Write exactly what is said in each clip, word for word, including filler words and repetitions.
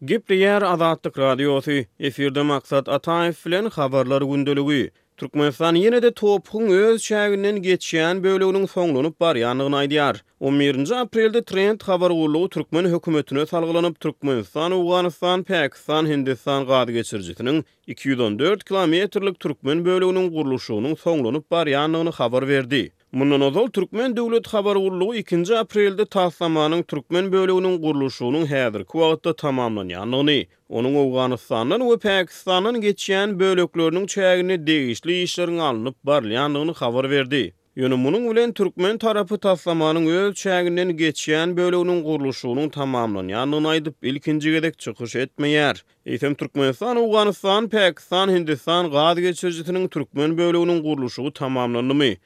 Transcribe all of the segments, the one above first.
Gepleýär Azatlyk Radiosy, efirde Maksat Ataýew bilen Habarlar gündeligi. Türkmenistan ýene-de TOPH-yň öz çäginden geçýän böleginiň soňlanyp barýandygyny aýdýar. On birinji aprelde Trend habar gullugy türkmen hökümetine salgylanyp, Türkmenistan, Owganystan, Pakistan, Hindistan gaz geçirijisiniň iki ýüz on dört kilometrlik türkmen böleginiň gurluşygynyň soňlanyp barýandygyny habar berdi. Mundan ozal türkmen döwlet habar gullugy ikinji aprelde taslamanyň türkmen böleginiň gurluşygynyň häzirki wagtda tamamlanýandygyny, onuň Owganystandan we Pakistandan geçýän bölekleriniň çäginde degişli işleriň alnyp barylýandygyny habar berdi. Ýöne munuň bilen türkmen tarapy taslamanyň öz çäginden geçýän böleginiň gurluşygynyň tamamlanýandygyny aýdyp, ilkinji gezek çykyş etmeýär. Eýsem Türkmenistan, Owganystan, Pakistan, Hindistan gaz geçirijisiniň türkmen böleginiň gurluşygy tamamlandymy?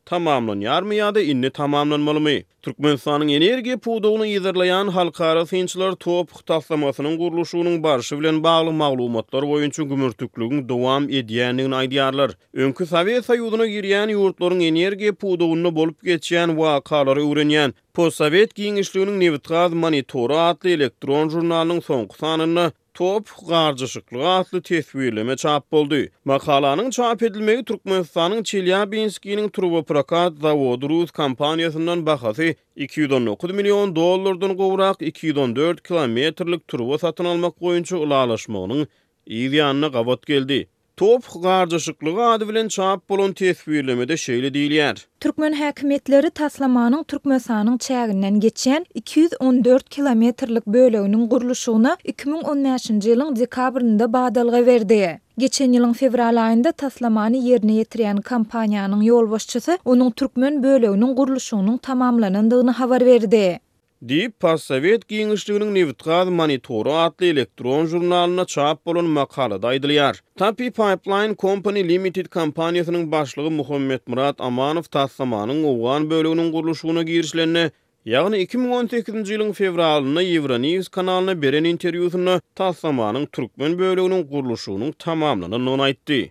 Tamamlanýarmy ýa-da indi tamamlanmalymy? Türkmenistanyň energiýa pudagyny yzarlaýan halkara synçylar TOPH taslamasynyň gurluşygynyň barşy bilen bagly maglumatlar boýunça gümürtikligiň dowam edýändigini aýdýarlar. Öňki Sowet Soýuzyna girýän ýurtlaryň energiýa pudagynda bolup geçýän wakalary öwrenýän Postsowet giňişliginiň nebitgaz monitory atly elektron žurnalynyň soňky sanynda TOPH garjaşyklygy atly teswirleme çap boldy. Makalanyň çap edilmegi Türkmenistanyň Çelýabinskiniň turboprokat zawody rus kompaniýasyndan bahasy iki ýüz on dokuz million dollardan gowrak iki ýüz on dört kilometrlik turba satyn almak boýunça ylalaşmagynyň yz ýanyna gabat geldi. TOPH garjaşyklygy ady bilen çap bolan teswirlemede şeýle diýilýär. Türkmen häkimiýetleri taslamanyň Türkmenistanyň çäginden geçýän iki ýüz on dört kilometrlik böleginiň gurluşygyna iki müň on bäşinji ýylyň dekabrynda badalga berdi. Geçen ýylyň fewral aýynda taslamany ýerine ýetirýän kompaniýanyň ýolbaşçysy onuň türkmen böleginiň gurluşygynyň tamamlanandygyny habar berdi. Diýip, Postsowet giňişliginiň nebitgaz monitory atly elektron žurnalynda çap bolan makalada aýdylýar. Tapi Pipeline Company Limited kompaniýasynyň başlygy Muhammetmyrat Amanow taslamanyň owgan böleginiň gurluşygyna girişilende, ýagny iki müň on sekizinji ýylyň fewralynda Euronews kanalyna beren interwýusynda taslamanyň türkmen böleginiň gurluşygynyň tamamlanandygyny aýtdy.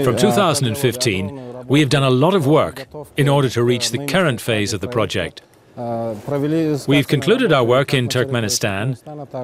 From two thousand and fifteen, we have done a lot of work in order to reach the current phase of the project. We've concluded our work in Turkmenistan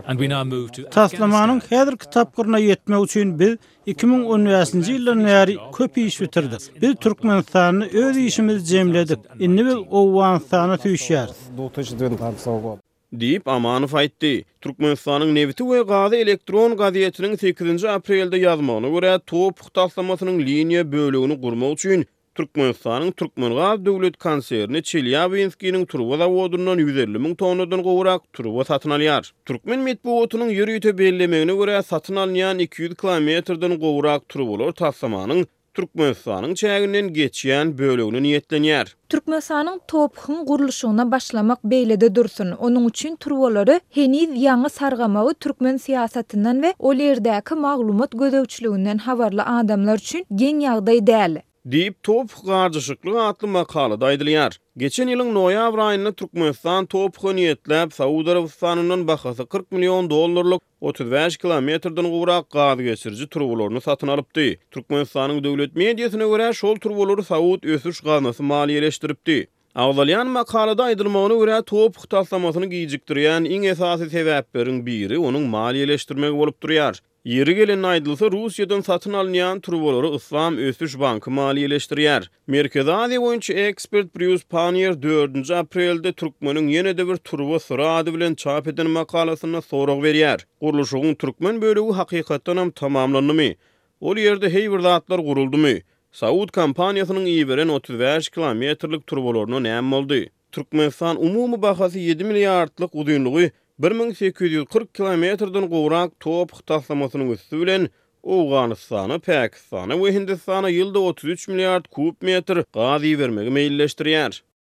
and we now move to Taslamanyň häzirki tapgyryna ýetmek üçin biz iki müň on bäşinji ýyldan bäri köp iş bitirdik. Biz Türkmenistanda öz işimizi jemledik. Indi biz Owganystana süýşýäris. Diýip, Amanow aýtdy. Türkmenistanyň nebiti we gazy elektron gazetiniň sekizinji aprelde ýazmagyna görä, TOPH taslamasynyň liniýa bölegini gurmak üçin Türkmenistanyň Türkmengaz döwlet konserni Çelýabinskiniň turba zawodyndan ýüz elli müň tonnadan gowrak turba satyn alýar. Türkmen metbugatynyň ýörite bellemegine görä, satyn alynýan iki ýüz kilometrden gowrak turbalar taslamanyň Türkmenistanyň çäginden geçýän bölegine niýetlenýär. Türkmenistanyň TOPH-yň gurluşygyna başlamak beýlede dursun. Onuň üçin turbalary heniz ýaňy sargamagy türkmen syýasatyndan we ol ýerdäki maglumat gözegçiliginden habarly adamlar üçin geň ýagdaý däl. Diýip, TOPH garjaşyklygy atly makalada aýdylýar. Geçen ýylyň noýabr aýynda Türkmenistan TOPH-a niýetläp Saud Arabystanyndan bahasy kyrk million dollarlyk otuz bäş kilometrden gowrak gaz geçiriji turbalaryny satyn alypdy. Türkmenistanyň döwlet mediasyna görä, şol turbalary Saud ösüş gaznasy maliýeleşdiripdi. Agzalýan makalada aýdylmagyna görä, TOPH taslamasyny gijikdirýän iň esasy sebäpleriň biri onuň maliýeleşdirmegi bolup durýar. Ýeri gelende aýdylsa, Russiýadan satyn alynýan turbalary Yslam ösüş banky maliýeleşdirýär. Merkezi Aziýa boýunça ekspert Brýus Pannier dördünji aprelde türkmeniň ýene-de bir turba syry ady bilen çap eden makalasynda sorag berýär. Gurluşygyň türkmen bölegi hakykatdanam tamamlandymy? Ol ýerde heý bir zatlar guruldymy? Saud kompaniýasynyň iberen otuz bäş kilometrlik turbalaryna näme boldy? Türkmenistan umumy bahasy ýedi milliardlyk uzynlygy bir müň sekiz ýüz kyrk kilometrden gowrak TOPH taslamasynyň üsti bilen Owganystana, Pakistana we Hindistana ýylda otuz üç milliard kub metr gaz ibermegi meýilleşdirýär.